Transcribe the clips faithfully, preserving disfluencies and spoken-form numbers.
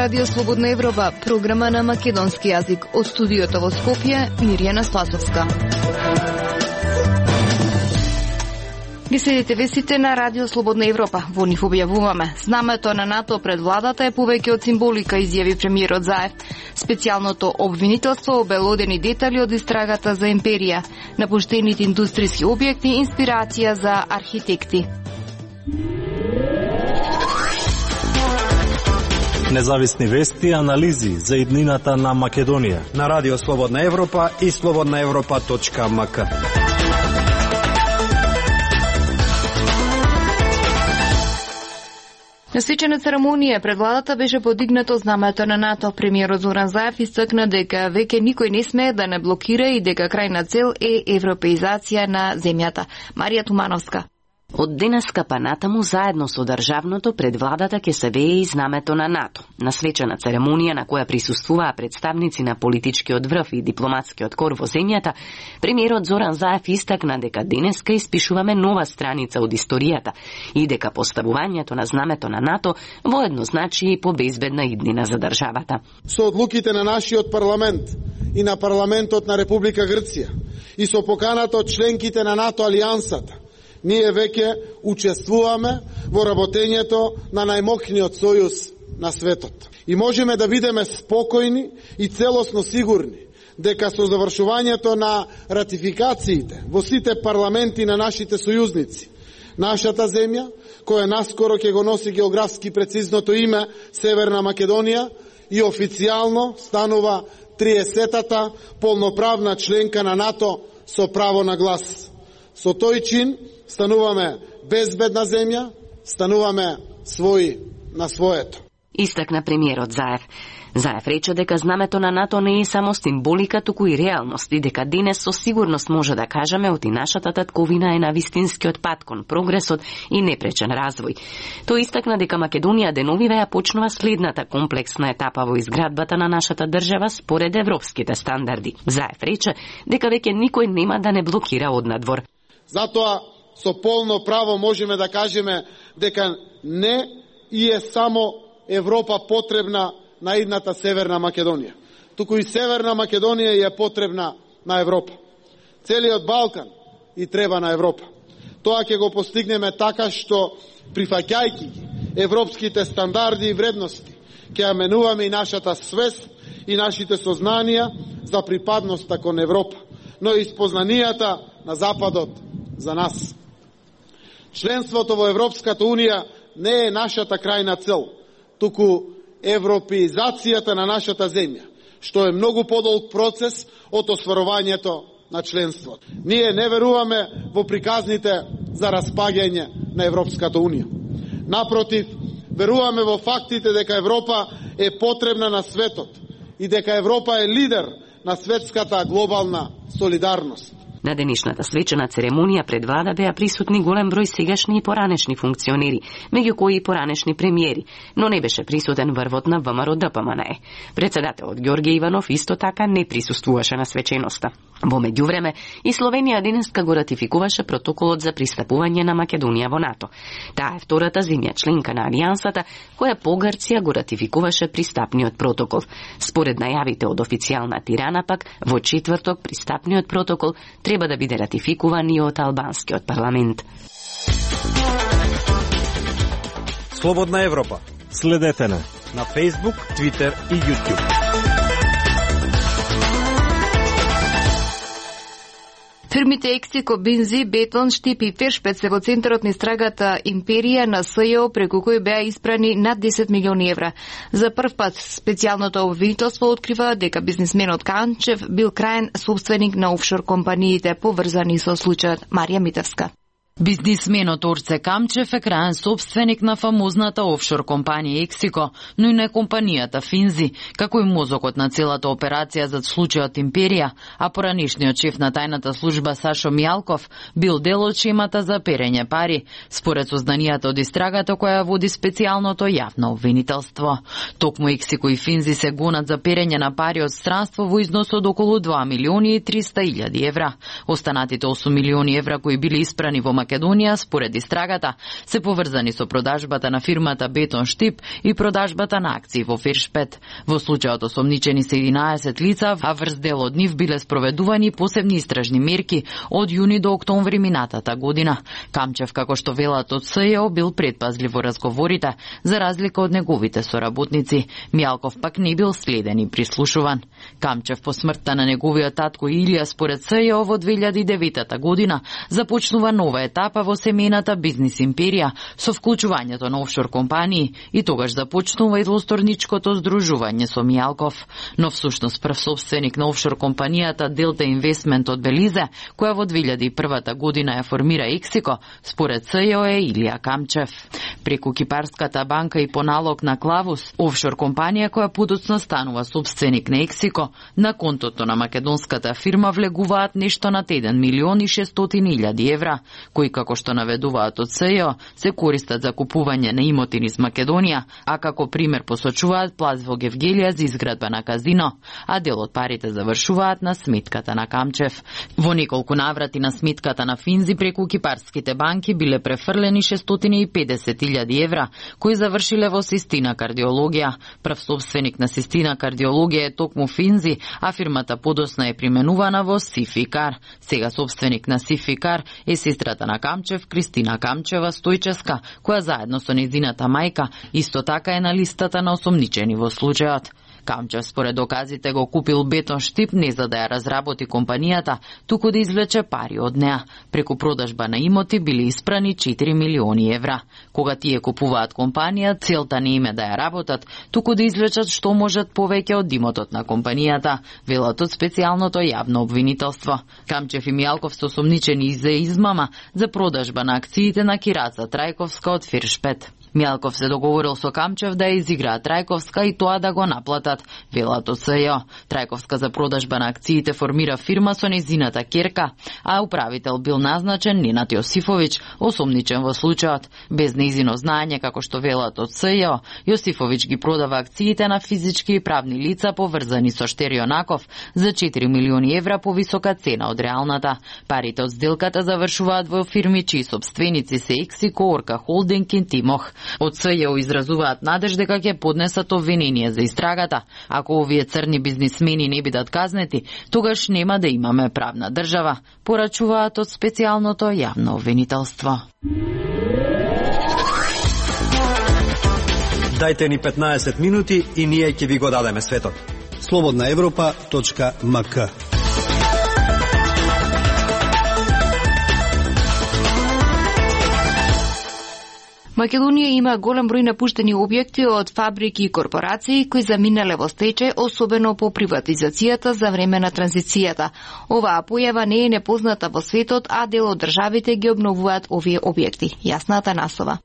Радио Слободна Европа, програма на македонски јазик. Од студиото во Скопје, Мирјана Слатовска. Ги следите вестите на Радио Слободна Европа. Во нив објавуваме: знамето на НАТО пред владата е повеќе од символика, изјави премиерот Заев. Специјалното обвинителство обелодени детали од истрагата за империја. Напуштените индустријски објекти инспирација за архитекти. Независни вести и анализи за иднината на Македонија на Радио Слободна Европа и слободна европа точка ем ка. На свечена церемонија пред владата беше подигнато знамето на НАТО. Премиерот Зоран Заев истакна дека веќе никој не смее да не блокира и дека крајна цел е европеизација на земјата. Марија Тумановска. Од денеска па натаму заедно со државното пред владата ќе се вее и знамето на НАТО. На свечена церемонија на која присуствуваа представници на политичкиот врв и дипломатскиот кор во земјата, премиерот Зоран Заев истакна дека денеска испишуваме нова страница од историјата и дека поставувањето на знамето на НАТО воедно значи и побезбедна иднина за државата. Со одлуките на нашиот парламент и на парламентот на Република Грција и со поканата од членките на НАТО алијансата, ние веќе учествуваме во работењето на најмокниот сојуз на светот. И можеме да бидеме спокојни и целосно сигурни дека со завршувањето на ратификациите во сите парламенти на нашите сојузници, нашата земја, која наскоро ќе го носи географски прецизното име Северна Македонија и официјално станува триесетата полноправна членка на НАТО со право на глас. Со тој чин стануваме безбедна земја, стануваме своји на своето. Истакна премиерот Заев. Заев рече дека знамето на НАТО не е само символика, туку и реалност и дека денес со сигурност може да кажеме оти нашата татковина е на вистинскиот пат кон прогресот и непречен развој. Тој истакна дека Македонија деновиве ја почнува следната комплексна етапа во изградбата на нашата држава според европските стандарди. Заев рече дека веќе никој нема да не блокира однадвор. Затоа со полно право можеме да кажеме дека не и е само Европа потребна на идната Северна Македонија, туку и Северна Македонија е потребна на Европа. Целиот Балкан и треба на Европа. Тоа ќе го постигнеме така што, прифаќајќи ги европските стандарди и вредности, ќе ја менуваме и нашата свест и нашите сознанија за припадноста кон Европа, но и спознанијата на Западот за нас. Членството во Европската Унија не е нашата крајна цел, туку европеизацијата на нашата земја, што е многу подолг процес од осварувањето на членството. Ние не веруваме во приказните за распаѓање на Европската Унија. Напротив, веруваме во фактите дека Европа е потребна на светот и дека Европа е лидер на светската глобална солидарност. На денешната свечена церемонија пред влада беа присутни голем број сегашни и поранешни функционери, меѓу кои и поранешни премиери, но не беше присутен врвот на ВМРО Д П М Н Е. Председателот Ѓорѓе Иванов исто така не присуствуваше на свеченоста. Во меѓувреме и Словенија денеска го ратификуваше протоколот за пристапување на Македонија во НАТО. Таа е втората земја членка на алијансата која по Грција го ратификуваше пристапниот протокол. Според најавите од официјална Тирана пак, во четврток пристапниот протокол треба да биде ратификуван и од албанскиот парламент. Слободна Европа. Следете на на Facebook, Twitter и YouTube. Фирмите Ексико, Бензи, Бетон, Штип и Фершпет се во центарот на истрагата империја на С Ј О, преку кој беа испрани над десет милиони евра. За прв пат специјалното обвинителство открива дека бизнисменот Камчев бил крајен собственик на офшор компаниите поврзани со случајот. Марија Митевска. Бизнисменот Орце Камчев е крајен собственик на фамозната офшор компанија Ексико, но и на компанијата Финзи, како и мозокот на целата операција за случајот Империја, а поранишниот шеф на тајната служба Сашо Мијалков бил дел од шемата за перење пари, според сознанијата од истрагата која води специјалното јавно обвинителство. Токму Ексико и Финзи се гонат за перење на пари од странство во износ од околу два милиони и триста илјади евра. Останатите осум милиони евра кои били испрани во Македонија, според истрагата, се поврзани со продажбата на фирмата Бетон Штип и продажбата на акции во Фиршпет. Во случајот осомничени се единаесет лица, а врз дел од нив биле спроведувани посебни истражни мерки од јуни до октомври минатата година. Камчев, како што велат од СЈО, бил предпазлив во разговорите, за разлика од неговите соработници. Мјалков пак не бил следен и прислушуван. Камчев по смртта на неговиот татко Илија, според СЈО, во две илјади и девета година започнува нова етапа во семејната бизнис империја со вклучувањето на офшор компании и тогаш започнува и двосторничкото здружување со Мјалков. Но всушност прв собственик на офшор компанијата Delta Investment од Белизе, која во две илјади и прва година ја формира Ексико, според СЈО е Илија Камчев. Преку Кипарската банка и по налог на Клавус, офшор компанија која подоцна станува собственик на Ексико, на контото на македонската фирма влегуваат нешто над еден милион и шестстотини илјади евра, кои, како што наведуваат од СЈО, се користат за купување на имоти низ Македонија, а како пример посочуваат плац во Гевгелија за изградба на казино, а дел од парите завршуваат на сметката на Камчев. Во неколку наврати на сметката на Финзи преку кипарските банки биле префрлени шестстотини и педесет илјади евра, кои завршиле во Систина кардиологија. Прв собственик на Систина кардиологија е токму Финзи, а фирмата подосна е применувана во Сификар. Сега собственик на Сификар е сестрата на Камчев, Кристина Камчева Стојческа, која заедно со нејзината мајка исто така е на листата на осомничени во случајот. Камчев според доказите го купил Бетон Штип не за да ја разработи компанијата, туку да извлече пари од неа. Преку продажба на имоти биле испрани четири милиони евра. Кога тие купуваат компанија, целта не им е да ја работат, туку да извлечат што можат повеќе од имотот на компанијата, велат од специјалното јавно обвинителство. Камчев и Мјалков се осомничени за измама за продажба на акциите на Кираца Трајковска од Фиршпет. Мјалков се договорил со Камчев да ја изиграат Трајковска и тоа да го наплатат, велат од СЈО. Трајковска за продажба на акциите формира фирма со нејзината ќерка, а управител бил назначен Ненад Јосифовиќ, осомничен во случајот. Без нејзино знаење, како што велат од СЈО, Јосифовиќ ги продава акциите на физички и правни лица поврзани со Штерионаков за четири милиони евра по висока цена од реалната. Парите од сделката завршуваат во фирми чии собственици се Ексико, Орка Холдинг и Тимох. Од СЈО изразуваат надеж дека ќе поднесат обвинение за истрагата. Ако овие црни бизнисмени не бидат казнети, тогаш нема да имаме правна држава, порачуваат од специјалното јавно обвинителство. Дајте ни петнаесет минути и ние ќе ви го дадеме светот. слободна европа точка ем ка. Македонија има голем број напуштени објекти од фабрики и корпорации кои заминале во стечај, особено по приватизацијата за време на транзицијата. Оваа појава не е непозната во светот, а дел од државите ги обновуваат овие објекти. Јасна Атанасова.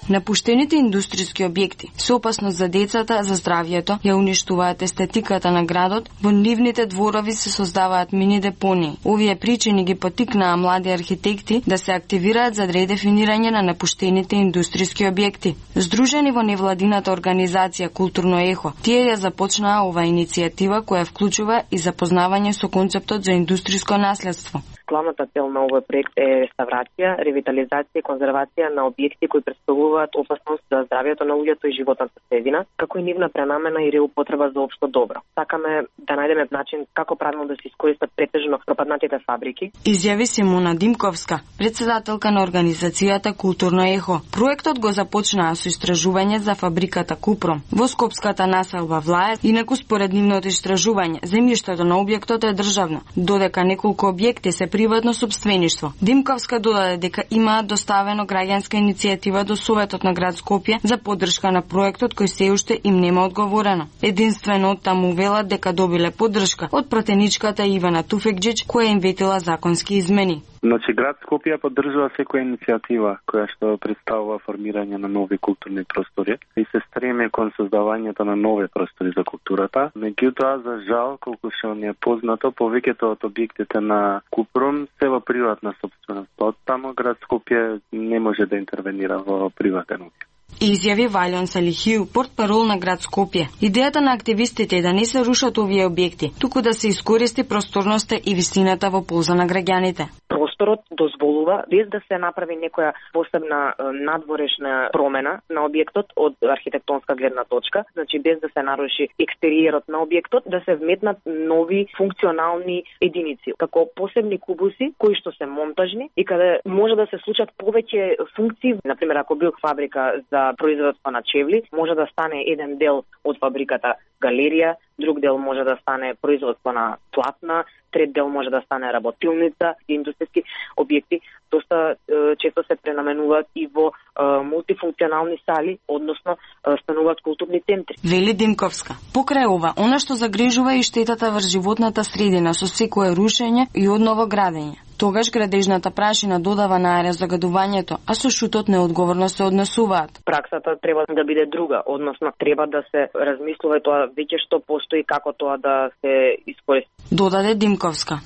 Напуштените индустријски објекти со опасност за децата, за здравјето, ја уништуваат естетиката на градот, во нивните дворови се создаваат мини депонии. Овие причини ги поттикнаа млади архитекти да се активираат за редефинирање на напуштените индустријски објекти. Здружени во невладината организација Културно ехо, тие ја започнаа оваа иницијатива која вклучува и запознавање со концептот за индустријско наследство. Главната цел на овој проект е реставрација, ревитализација и конзервација на објекти кои претставуваат опасност за здравјето на луѓето и животната средина, како и нивна пренамена и реупотреба за општо добро. Сакаме да најдеме начин како правилно да се искористат претежно пропаднатите фабрики. Изјави Симона Димковска, председателка на организацијата Културно ехо. Проектот го започнаа со истражување за фабриката Купром во скопската населба Влаје, инаку според нивното истражување, земјиштето на објектот е државно, додека неколку објекти се приватно собствеништво. Димковска додаде дека имаат доставено граѓанска иницијатива до Советот на град Скопје за поддршка на проектот кој се уште им нема одговорено. Единствено од таму велат дека добиле поддршка од пратеничката Ивана Туфекџиќ која им ветила законски измени. Значи, град Скопје поддржува секоја иницијатива која што представува формирање на нови културни простори и се стреме кон создавањето на нови простори за културата. Меѓутоа, за жал, колку што ни е познато, повеќето од објектите на Купром се во приватна собственост. Од таму град Скопје не може да интервенира во приватен објект. Изјави Валјон Салихиу, портпарол на град Скопје. Идејата на активистите е да не се рушат овие објекти, туку да се искористи просторноста и вистината во полза на граѓаните. инвеститорот дозволува без да се направи некоја посебна надворешна промена на објектот од архитектонска гледна точка, значи без да се наруши екстериерот на објектот, да се вметнат нови функционални единици, како посебни кубуси кои што се монтажни и каде може да се случат повеќе функции. Например, ако бил фабрика за производство на чевли, може да стане еден дел од фабриката галерија, друг дел може да стане производство на платна, трет дел може да стане работилница, индустријски објекти. Доста е, често се пренаменуваат и во е, мултифункционални сали, односно е, стануваат културни центри. Вели Димковска. Покрај ова, она што загрижува и штетата врз животната средина со секое рушење и одново градење. Тогаш градежната прашина додава на аерозагадувањето, а со шутот неодговорно се однесуваат. Праксата треба да биде друга, односно треба да се размислува тоа веќе што постои, како тоа да се искористи. Додаде Димковска.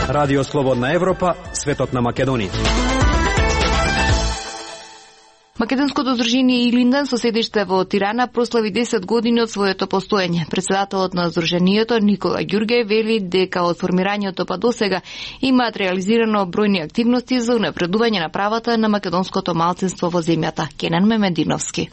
Радио Слободна Европа, светот на Македонија. Македонското здружение Илинден со седиште во Тирана прослави десет години од своето постоење. Председателот на здруженијето Никола Ѓурѓај вели дека од формирањето па досега имаат реализирано бројни активности за унапредување на правата на македонското малцинство во земјата. Кенан Мемединовски.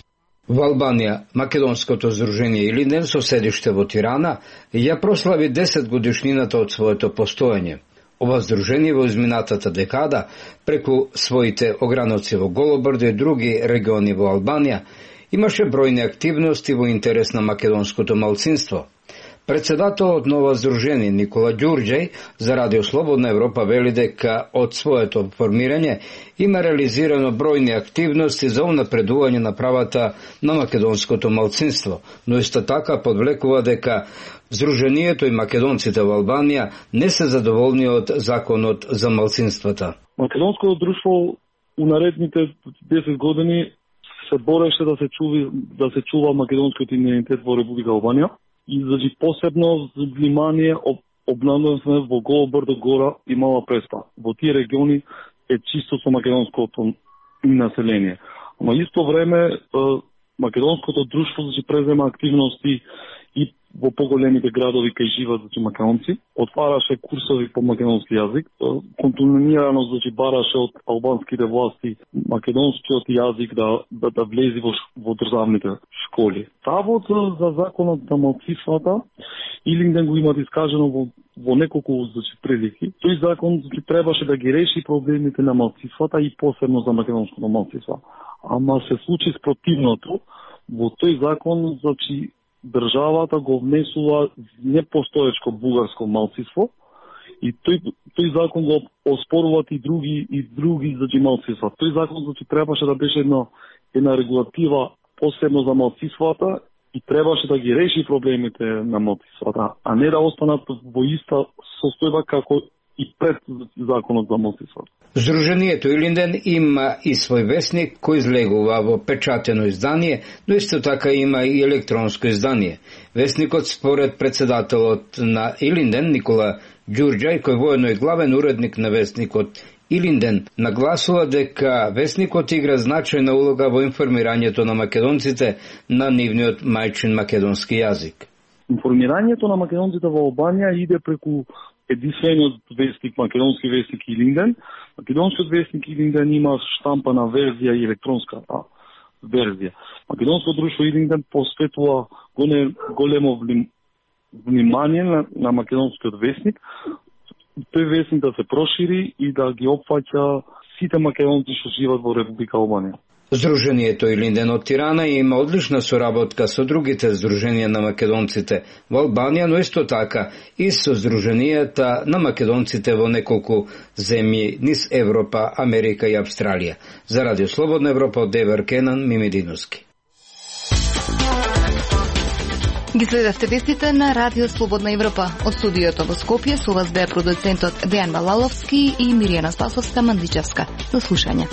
Во Албанија, Македонското здружение Илинден со седиште во Тирана ја прослави десет годишнината од своето постоење. Ова здружение во изминатата декада, преку своите ограноци во Голобрдо и други региони во Албанија, имаше бројни активности во интерес на македонското малцинство. Председателот на ова здружение Никола Ѓурѓај за Радио Слободна Европа вели дека од своето формирање има реализирано бројни активности за унапредување на правата на македонското малцинство, но исто така подвлекува дека Здруженијето и македонците во Албанија не се задоволни од законот за малцинствата. Македонското друштво у наредните десет години се бореше да се чуви да се чува македонскиот идентитет во Република Албанија и значи посебно внимание обнадовме во Голобрдо, Гора и Мала Преспа. Во тие региони е чисто со македонското население. Ама исто време македонското друштво значи презема активности и во поголемите градови кај живеат значи македонци, отвараше курсови по македонски јазик, континуирано значи бараше од албанските власти македонскиот јазик да да, да влезе во, во државните школи. Ставот за законот на малцинствата Илинден го имат искажено во во неколку значи прилики. Тој закон значи требаше да ги реши проблемите на малцинствата и посебно за македонското малцинство. Ама се случи спротивното. Во тој закон значи државата го внесува непостоечко бугарско малцинство и тој тој закон го оспоруваат и други и други значи малцинства. Тој закон значи требаше да беше една една регулатива посебно за малцинствата и требаше да ги реши проблемите на малцинствата, а не да останат во иста состојба како и пред законот за малцинствата. Здруженијето Илинден има и свој весник кој излегува во печатено издание, но исто така има и електронско издание. Весникот според председателот на Илинден Никола Ѓурѓај, кој воедно е главен уредник на весникот Илинден, нагласува дека весникот игра значајна улога во информирањето на македонците на нивниот мајчин македонски јазик. Информирањето на македонците во Албанија иде преку единствениот вестник, македонски вестник Илинден. Македонскиот вестник Илинден има штампана верзија и електронска верзија. Македонското друштво Илинден посветува големо внимание на, на македонскиот вестник. Тој вестник да се прошири и да ги опфаќа сите македонци што живеат во Република Албанија. Здруженијето Илинден од Тирана има одлична соработка со другите здруженија на македонците во Албанија, но исто така и со здруженијата на македонците во неколку земји низ Европа, Америка и Австралија. За Радио Слободна Европа од Девер Кенан Мимединовски. Ги следевте вестите на Радио Слободна Европа. Од студиото во Скопје со вас беа продуцентот Дејан Балаловски и Миријана Спасовска Мандичевска. До слушање.